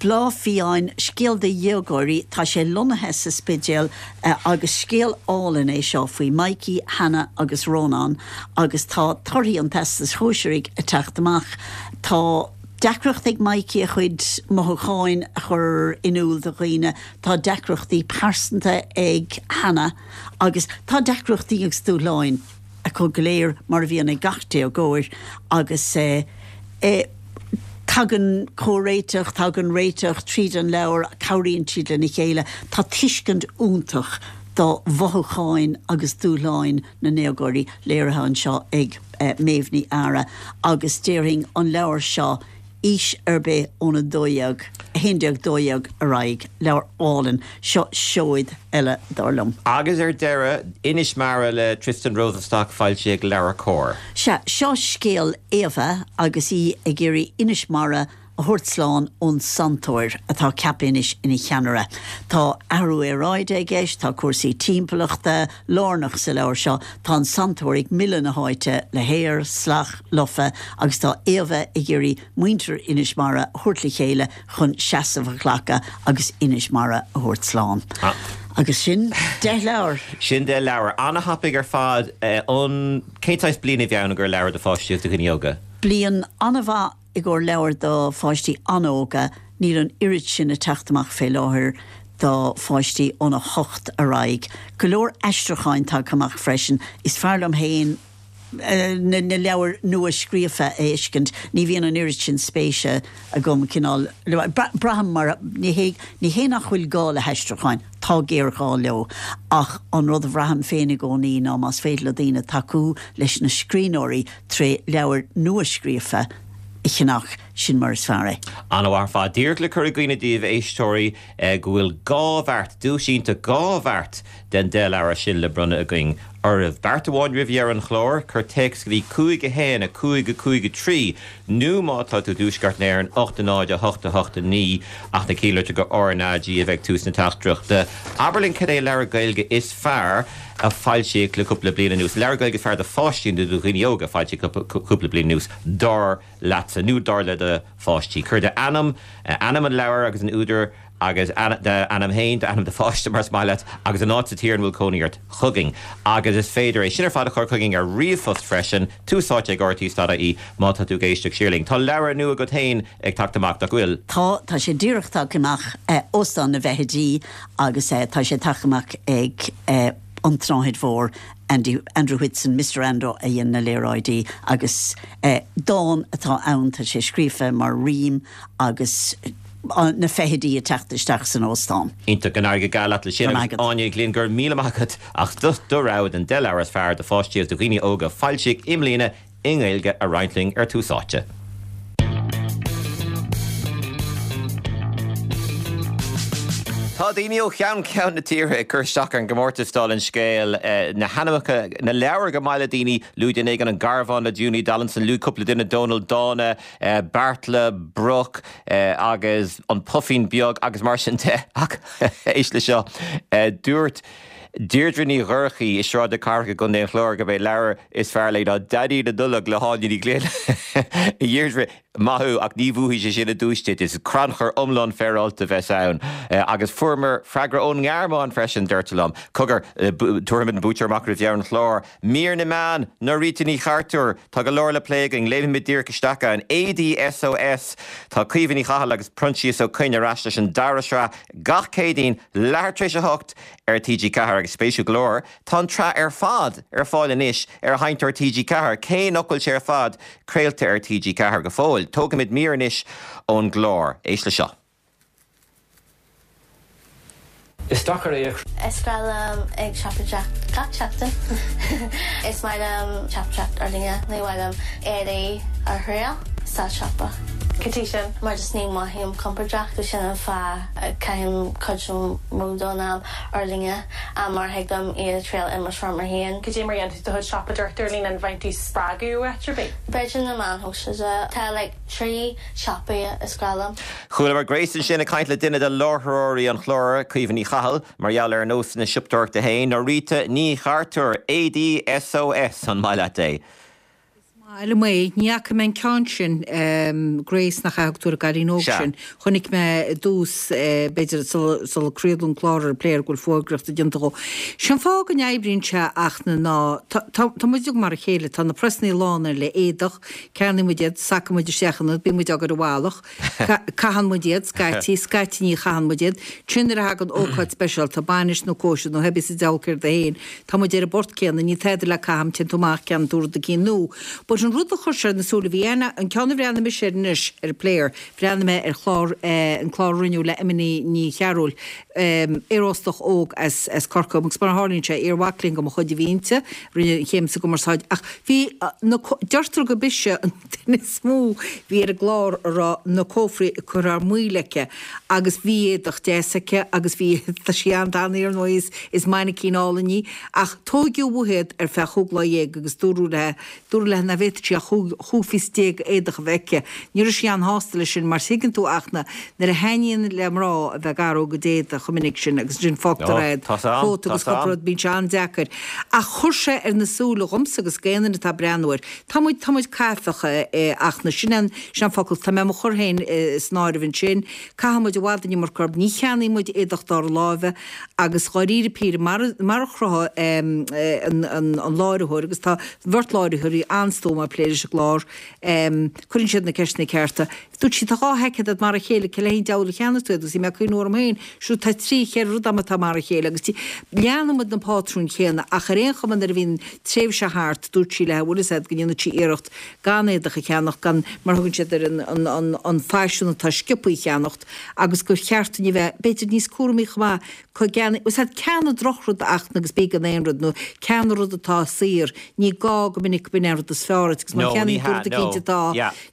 Bláth Fiáin, scéal do dhéagóirí, tá sé lonnaithe sa Spidéal agus scéal álainn é seo faoi Mikey, Hannah agus Rónán agus tá torthaí an Teastais Shóisearaigh ag teacht amach. Tá deacracht ag Mikey a chuid mothúcháin a chur in iúl do dhaoine, tá deacrachtaí pearsanta ag Hannah agus tá deacrachtaí agus dúshláin. acu go léir, mar a bhíonn ag gach déagóir, agus tagann comhréiteach, tagann réiteach tríd an leabhar, cabhraíonn siad lena chéile. Tá tuiscint iontach do mhothúcháin agus dúshláin na ndéagóirí léirithe anseo ag Méabh Ní Eadhra agus déarfainn an leabhar seo, aois ar bith ón 12, 11, 12 ar aghaidh. Leabhar álainn. Seo seoid eile, dar liom. Agus ar deireadh, Inis Mara le Tristan Rosenstock, foilsithe ag LeabhairCOMHAR. Sea, seo scéal Éabha agus í ag iarraidh Inis Mara a thabhairt slán ón Santóir atá ceaptha anois ina cheannaire. Tá athrú aeráide i gceist, tá cúrsaí timpeallachta lárnach sa leabhar seo, tá an Santóir ag milleadh na háite le haer salach, lofa agus tá Éabha ag iarraidh muintir Inis Mara a thabhairt le chéile chun seasamh a ghlacadh agus Inis Mara a thabhairt slán. Agus sin 10 leabhar! Sin 10 leabhar. An-thapaidh ar fad. An, cén saghas bliain a bhí ann i gcomhair leabhar do pháistí agus do dhaoine óga? Bliain an-mhaith i gcomhair leabhar do pháistí an-óga, níl an oiread sin ag teacht amach fé láthair do pháistí ón 8 ar aghaidh. Go leor aistriúcháin tagtha amach freisin. Is fearr liom féin na leabhair nua-scríofa a fheiscint. Ní bhíonn an oiread sin spéise agam, cineál, braithim mar, ní hé, ní hé nach bhfuil gá le haistriúcháin, tá géarghá leo, ach an rud a bhraithim féin i gcónaí ná más féidir le daoine tacú leis na scríbhneoirí tré leabhair nua-scríofa a cheannach, sin mar is fearr é. An-mhaith ar fad. Díreach le cur i gcuimhne daoibh, a éisteoirí, go bhfuil 2 bheart, duais iontach, 2 bheart den 10 leabhar sin le bronnadh againn. oraibh. Beart amháin roimh dheireadh an chláir, cuir téacs go dtí 5 1 5 5 3 nó má tá tú i dTuaisceart na hÉireann, 8 0 8 8 9 ach na cinnlitreacha RnaG a bheidh ag tús na teachtaireachta. Abair linn cad é an leabhar Gaeilge is fearr a foilsíodh le cúpla bliain anuas, leabhar Gaeilge is fearr do pháistí nó do dhaoine óga a foilsíodh le cúpla bliain anuas, dar leatsa nó dar le do pháistí. Cuir d'ainm, ainm an leabhair agus an údair agus d'ainm féin, d'ainm do pháiste más maith leat, agus an áit sa tír ina bhfuil cónaí ort chugainn. Agus is féidir é sin ar fad a chur chugainn ar ríomhphost freisin, tús áite ag rte.ie má tá tú ag éisteacht siar linn. Tá leabhar nua agat féin ag teacht amach, nach bhfuil? Tá, tá sé díreach tagtha amach, Óstán na bhFeithidí, agus tá sé tagtha amach ag An tSnáthaid Mhór, Andy, Andrew Whitson, Mister Ando a dhein na léaráidí agus dán atá ann, tá sé scríofa mar rím agus na feithidí ag teacht isteach san óstán. Iontach, go n-éirí go geal leat leis sin agus Áine Ní Ghlinn, go raibh míle maith agat as do rogha den 10 leabhar is fearr do pháistí agus do dhaoine óga a foilsíodh i mbliana i nGaeilge a roinnt linn ar Tús Áite. Tá daoine ó cheann ceann na tíre ag cur isteach ar an gcomórtas dála an scéil, na hainmneacha, na leabhair gur maith le daoine, luaigh duine éigin An Garbhán le Junie Donaldson, luaigh cúpla duine Dónal Dána, Beartla, Broc agus An Puifín Beag agus mar sin de ach éist le seo, dúirt Deirdre Ní Dhorchaí i Sráid na Cathrach i gContae an Chláir gurb é leabhar is fearr léi ná Daidí na Nollag le hÁine Ní Ghlinn. A Dheirdre, maith thú ach ní bhuafaidh sé sin an duais duit, is crannchur iomlán féaráilte a bheas ann. Agus fuaireamar freagra ón nGearmáin freisin, deirtear liom. Cogar, tabharfaimid an buaiteoir amach roimh dheireadh an chláir. Mír na Meán, Norita Ní Chartúir, Tá go leor le plé againn, léimfimid díreach isteach ann. Éadaí SOS, Tá Caoimhe Ní Chathail agus Proinsias Ó Coinn ar ais leis an dara sraith gach Céadaoin, leathuair tar éis a hocht ar TG4 agus spéisiúil go leor, tá an tsraith ar fad ar fáil anois ar sheinnteoir TG4, cé nach bhfuil sé ar fad craolta ar TG4 go fóill. Tógfaimid mír anois ón gclár. Éist le seo. Is deacair é a. Is breá liom ag siopadóireacht gach seachtain. Is maith liom siopadóireacht ar líne. Ní mhaith liom éadaí a thriail sa siopa. Cad chuige sin? Mar just ní mothaím compordach so sin an fáth a caithim cuid mó don am ar líne mar thig liom iad a thriail i mo seomra féin. Cad é mar a dhéanann tú do chuid siopadóireachta ar líne? An bhfaigheann tú spreagadh ó áit ar bith? B'fhéidir na meáin shóisialta. Tá like 3 siopaí is grá liom. Chualamar Grace ansin ag caint le duine de láithreoirí an chláir, Caoimhe Ní Chathail, mar gheall ar a nósanna siopadóireachta féin. Norita Ní Chartúir, Éadaí SOS, an maith leat é? Is maith liom é. Ní fhaca mé an ceann sin, Grace, nach ea a thug tú ar an gcailín óg Sea. sin? Chonaic mé i dtús, b'fhéidir sula craoladh an clár ar an Player go bhfuil fógraíocht déanta dhó. Sé an fáth go n-oibríonn sé ach na ná, tá, tá muid uilig mar a chéile, tá na presannaí lán le éadach, Ceannaíonn muid iad, sacann muid isteach iontu, bíonn muid á gcur i bhfalach, caitheann muid iad, scaití, scaití ní chaitheann muid iad. Ansin nuair a thagann ócáid speisialta, bainis nó cóisir nó pé bí sa diabhal céard é féin, tá muid ar an bport céanna, níl tada le caitheamh, téann tú amach, ceannaíonn tú rud eicínt nua. But an rud a chuir sé ar na súile, bhí aithne, an ceann a bhreathnaigh mise air anois ar an Player, bhreathnaigh mé ar chlár, an clár a rinneadh le Emma Ní Chearúil, aeróstach óg as Corcaigh agus mar a tharlaíonn sé, iar-mhac léinn de mo chuid a bhí inti, rinne an chéim sa gcumarsáid, ach bhí na, deirtear gurb ise an duine is mó bhí ar an gclár a raibh na cófraí ag cur thar maoil aici agus bhí éadach deas aici agus bhí, tá sí an-tanaí ar ndóigh, is, is mainicín álainn í, ach tóigeadh uaithi iad ar feadh chúig lá dhéag agus dúradh léi, Dúradh léi nach bhféadfadh sí ach chúig phíosa déag éadach a bheith aici. Ní raibh sí an-shásta leis sin mar tuigeann tú Fhachtna, nuair a thaitníonn le mná a bheith ag athrú a gcuid éadaigh chomh minic sin agus ansin fágtar iad, cóta agus cúpla rud, bíonn sé an-deacair. Ach chuir sé ar na súile dhomsa agus d'aon duine atá ag breathnú air. Tá muid, tá muid caifeach, a Fhachtna, sin an, sin an focal. Tá mé mo chur féin san áireamh ansin. Caitheann muid i bhfad an iomarca orthu, ní cheannaíonn muid éadach dár láimhe agus dháiríre píre, mar mar a chruthaigh an láithreoir, agus tá bheirt láithreoirí an-stuama ag plé leis an gclár, cuireann siad na ceisteanna cearta. Dúirt sí, tá 2 sheaicéad agat mar a chéile, cé le haghaidh an diabhal a cheannaigh tú iad? Agus bhí mé ag cuimhniú orm féin, siúd tá trí, cheithre rud agam atá mar a chéile agus leanann muid na pátrúin chéanna ach ar aon chuma nuair a bhíonn tréimhse thart, dúirt sí léi, bhfuil fhios agat go ndéanfaidh sí iarracht gan éadach a cheannacht, gan, mar a thugann siad air, an, an, an faisean atá sciobtha a cheannacht agus gur cheart dúinn a bheith, b'fhéidir, níos cúramaí chomh maith, cá gceannaigh, bhfuil fhios agat, ceannaigh drochrud a Fhachtna agus bí gan aon rud, nó ceannaigh rud atá saor, ní gá go minic go mb'in é an rud is fearr. fearr duit agus má cheannaíonn tú rud eicínt atá,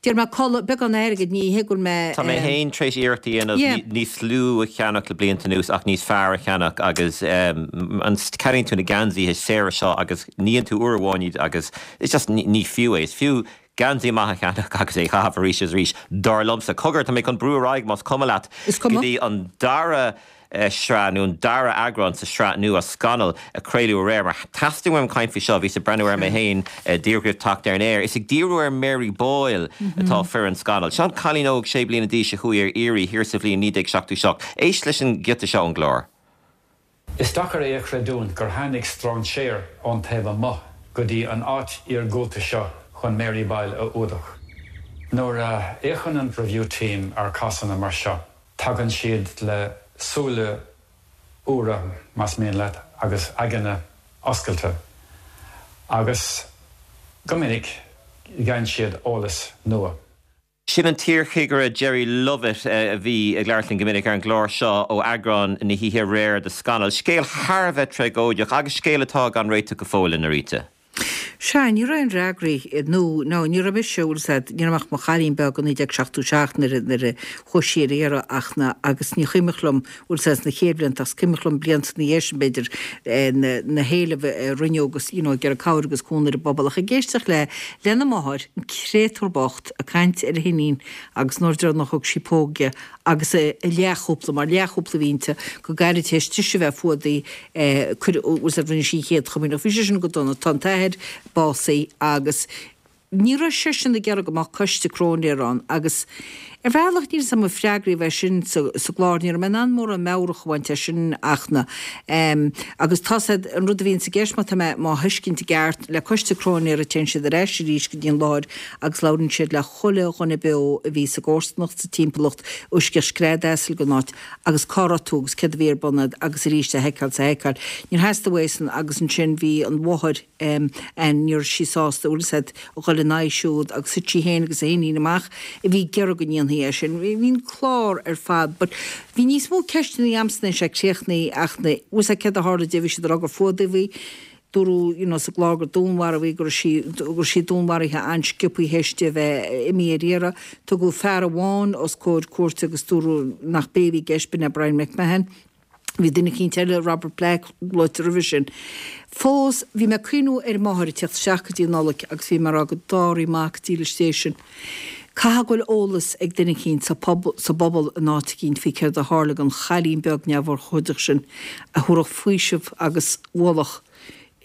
déarfaidh mé culaith, beagán airgid, ní hé go bhfuil mé. Tá mé féin tar éis iarracht a dhéanamh níos lú a cheannach le blianta anuas ach níos fearr a cheannach agus an ceannaíonn tú na geansaithe saora seo agus níonn tú uair amháin iad agus it's just ní fiú é. Is fiú geansaí maith a cheannach agus é a chaitheamh arís is arís, dar liomsa. Cogar, tá mé chun brú ar aghaidh, más cuma leat, go dtí an dara sraith, nó an dara eagrán sa sraith nua, Scannal, a craoladh aréir, mar theastaigh uaim caint faoi seo, bhíos ag breathnú air mé féin díreach roimh teacht ar an aer. Is ag díriú ar Mary Boyle atá foireann Scannal. Seo an cailín óg sé bliana d'aois a chuaigh ar iarraidh thiar sa bhliain 1977. Éist leis an ghiota seo ón gclár. Is deacair é a chreidiúint gur tháinig strainséir ón taobh amuigh go dtí an áit iargúlta seo chun Mary Boyle a fhuadach. Nuair a fhéachann an Review Team ar cásanna mar seo, tagann siad le súile úra, más mian leat, agus aigne oscailte, agus go minic gheibheann siad eolas nua. Sin an t-iarchigire Jerry Lovett a bhí ag labhairt linn go minic ar an gclár seo ó eagrán na hoíche aréir de Scannal. Scéal thar a bheith tragóideach agus scéal atá gan réiteach go fóill, a Norita. Sea, ní raibh aon fhreagraí, nó, nó ní raibh mise, bhfuil 'fhios a'd, ní raibh ach mo chailín beag i 1977 nuair a, nuair a chuaigh sí ar iarraidh ach na, agus ní chuimhneach liom, bhfuil 'fhios a'd, sna chéad bhlianta ach is cuimhneach liom blianta ina dhiaidh sin b'fhéidir, na, na héilimh a rinneadh agus, you know, ag iarraidh cabhair agus cúnamh ar an bpobal ach ag éisteacht le, lena máthair, an créatúr bocht, ag caint ar a hiníon agus an uair deireanach a thug sí póg di agus a leathchúpla, mar leathchúpla a bhí inti, go gairid tar éis dise bheith fuadaithe, cuireadh, bhfuil 'fhios a'd, rinne sí an chéad chomaoineach. Bhí sé sin go dona. Tá an t-athair básaithe agus ní raibh seisean ag iarraidh go mbeadh coiste cróinéara ann agus ar bhealach níl 'fhios a'm an freagraí a bheith sin sa sa gclár, ní raibh mé in ann mórán meabhrach a bhaint as sin ach na em agus tá 'fhios a'd an rud a bhíonns i gceist má tá mé má thuiscint i gceart le coiste cróinéara téann siad ar ais arís go dtí an láthair agus labhraíonn siad le chuile dhuine beo a bhí sa gcomharsanacht sa timpeallacht uisceach scread asail den áit agus cá raibh tú agus céard a bhí ar bun a'd agus arís a sheiceáil 's a sheiceáil. Níor theastaigh uaidh san agus ansin bhí an mháthair em Ann ní raibh sí sásta bhfuil 'fhios a'd a dhul ina aghaidh siúd agus thit sí féin agus a hiníon amach a bhí ag iarraidh go ndéanfaí é sin. Bhí an clár ar fad but bhí níos mó ceisteanna a'msa ná sé críochnaithe ach na bhfuil 'fhios a'd céard a tharla di bhí siad ag rá gur fuadaíodh í dúradh you know sa gclár gur dúnmharaíodh í go raibh sí go raibh sí dúnmharaithe an-sciobtha théis di a bheith imithe ar iarraidh. Tugadh fear amháin os comhair cúirte agus dúradh nach b'é a bhí i gceist b'in é Brian McMahon. Bhí duine eicínt eile, Robert Black, luaite roimhe sin. Fós, bhí mé ag cuimhniú ar an máthair ag tíocht isteach go dtí an Nollaig agus bhí mé ag rá go dtárraí mac dílis Dé sin. Caithfidh go bhfuil eolas ag duine eicínt sa bpobal in áit eicínt faoi céard a tharla don chailín beag neamhurchóideach sin a thabharfadh faoiseamh agus ualach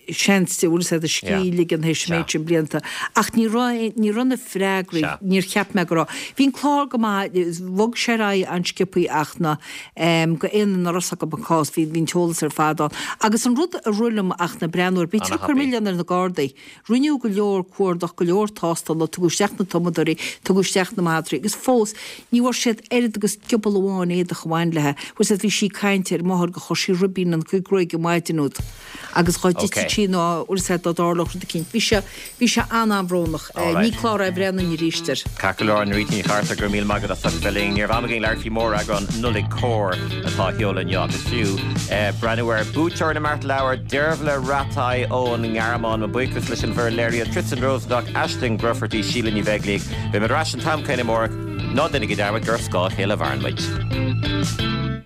seans di, bhfuil 'fhios a'd, a scíth a ligean théis an méid sin blianta. Ach ní raibh, ní raibh na freagraí, níor cheap mé go raibh. Bhí an clár go maith, bhog sé ar aghaidh an-sciobthaí ach na, go éinne nach raibh 'fhios acu an cás, bhí, bhí an t-eolas ar fad ann. Agus an rud a rith liom ach na breathnú air, bítear ag cur milleán ar na Gardaí. Rinneadh go leor cuardach, go leor tástála, tugadh isteach na tumadóirí, tugadh isteach na madraí agus fós ní bhfuair siad oiread agus giobal amháin éadach a bhain léi. Bhfuil 'fhios a'd, bhí sí ag caint ar an máthair gur chuir sí ribín ina cuid gruaige an mhaidin úd. Agus dhá dtitfeadh sí nó bhfuil 'fhios a'd dá dtarlódh rud eicínt. Bhí sé, bhí sé an-an-bhrónach. Ní clár é a bhreathnóinn arís air. Ceart go leor, Norita Ní Chartúir, go raibh míle maith agat as ucht bheith linn. Ní raibh am againn labhairt faoi mhóreagrán Nollaig Comhar atá á sheoladh inniu agus fiú breathnú ar buaiteoir na mBeart Leabhar, Deirbhile Rattay ón nGearmáin. Mo buíochas leis an bhfoireann léirithe, Tristan Rosenstock, Aisling Grufferty, Síle Ní Bheaglaoich. Beidh muid ar ais an t-am céanna amárach. Ná déanaigí dearmad gur ar scáth a chéile a mhaireann muid.